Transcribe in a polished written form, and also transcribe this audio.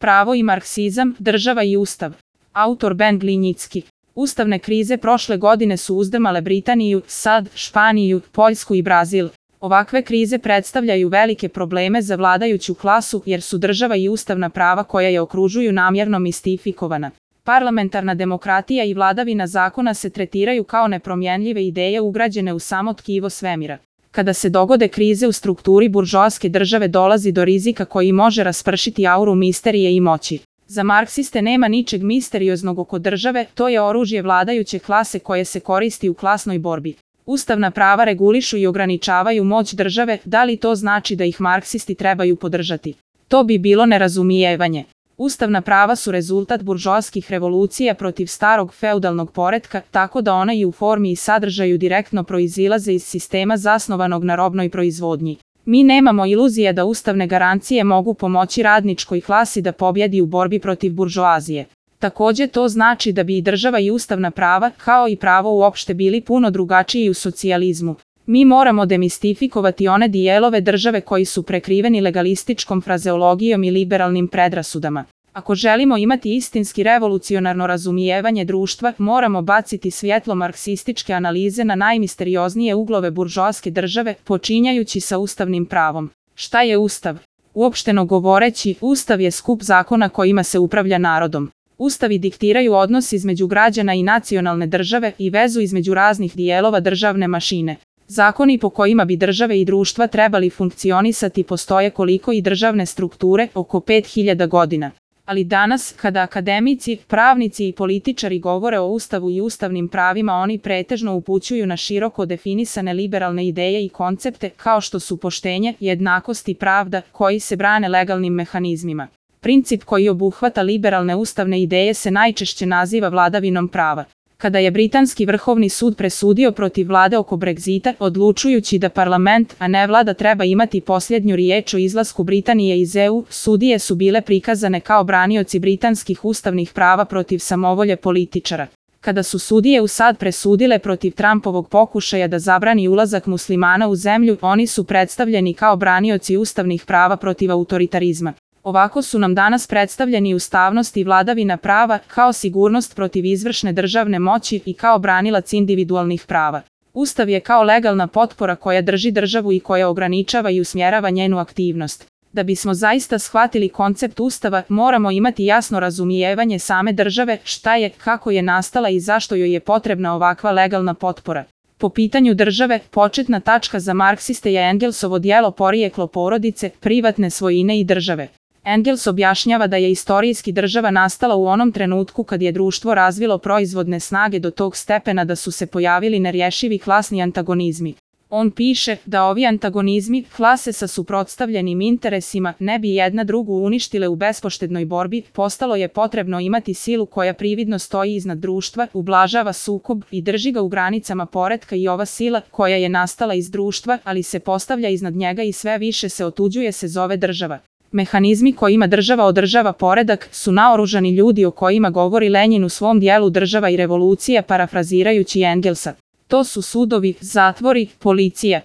Pravo i marksizam, država i ustav. Autor Ben Glinjicki. Ustavne krize prošle godine su uzdrmale Britaniju, SAD, Španiju, Poljsku i Brazil. Ovakve krize predstavljaju velike probleme za vladajuću klasu jer su država i ustavna prava koja je okružuju namjerno mistifikovana. Parlamentarna demokratija i vladavina zakona se tretiraju kao nepromjenljive ideje ugrađene u samo tkivo svemira. Kada se dogode krize u strukturi buržoaske države dolazi do rizika koji može raspršiti auru misterije i moći. Za marksiste nema ničeg misterioznog oko države, to je oružje vladajuće klase koje se koristi u klasnoj borbi. Ustavna prava regulišu i ograničavaju moć države, da li to znači da ih marksisti trebaju podržati? To bi bilo nerazumijevanje. Ustavna prava su rezultat buržoaskih revolucija protiv starog feudalnog poretka, tako da ona i u formi i sadržaju direktno proizilaze iz sistema zasnovanog na robnoj proizvodnji. Mi nemamo iluzije da ustavne garancije mogu pomoći radničkoj klasi da pobjedi u borbi protiv buržoazije. Također to znači da bi i država i ustavna prava, kao i pravo uopšte bili puno drugačiji u socijalizmu. Mi moramo demistifikovati one dijelove države koji su prekriveni legalističkom frazeologijom i liberalnim predrasudama. Ako želimo imati istinski revolucionarno razumijevanje društva, moramo baciti svjetlo marksističke analize na najmisterioznije uglove buržoaske države, počinjajući sa ustavnim pravom. Šta je ustav? Uopšteno govoreći, ustav je skup zakona kojima se upravlja narodom. Ustavi diktiraju odnos između građana i nacionalne države i vezu između raznih dijelova državne mašine. Zakoni po kojima bi države i društva trebali funkcionisati postoje koliko i državne strukture, oko 5000 godina. Ali danas, kada akademici, pravnici i političari govore o ustavu i ustavnim pravima, oni pretežno upućuju na široko definisane liberalne ideje i koncepte, kao što su poštenje, jednakost i pravda, koji se brane legalnim mehanizmima. Princip koji obuhvata liberalne ustavne ideje se najčešće naziva vladavinom prava. Kada je Britanski vrhovni sud presudio protiv vlade oko Brexita, odlučujući da parlament, a ne vlada treba imati posljednju riječ o izlasku Britanije iz EU, sudije su bile prikazane kao branioci britanskih ustavnih prava protiv samovolje političara. Kada su sudije u SAD presudile protiv Trumpovog pokušaja da zabrani ulazak muslimana u zemlju, oni su predstavljeni kao branioci ustavnih prava protiv autoritarizma. Ovako su nam danas predstavljeni ustavnost i vladavina prava, kao sigurnost protiv izvršne državne moći i kao branilac individualnih prava. Ustav je kao legalna potpora koja drži državu i koja ograničava i usmjerava njenu aktivnost. Da bismo zaista shvatili koncept ustava, moramo imati jasno razumijevanje same države, šta je, kako je nastala i zašto joj je potrebna ovakva legalna potpora. Po pitanju države, početna tačka za marksiste je Engelsovo djelo Porijeklo porodice, privatne svojine i države. Engels objašnjava da je istorijski država nastala u onom trenutku kad je društvo razvilo proizvodne snage do tog stepena da su se pojavili nerješivi klasni antagonizmi. On piše da ovi antagonizmi, klase sa suprotstavljenim interesima, ne bi jedna drugu uništile u bespoštednoj borbi, postalo je potrebno imati silu koja prividno stoji iznad društva, ublažava sukob i drži ga u granicama poretka i ova sila, koja je nastala iz društva, ali se postavlja iznad njega i sve više se otuđuje se zove država. Mehanizmi kojima država održava poredak su naoružani ljudi o kojima govori Lenjin u svom dijelu Država i revolucija parafrazirajući Engelsa. To su sudovi, zatvori, policija.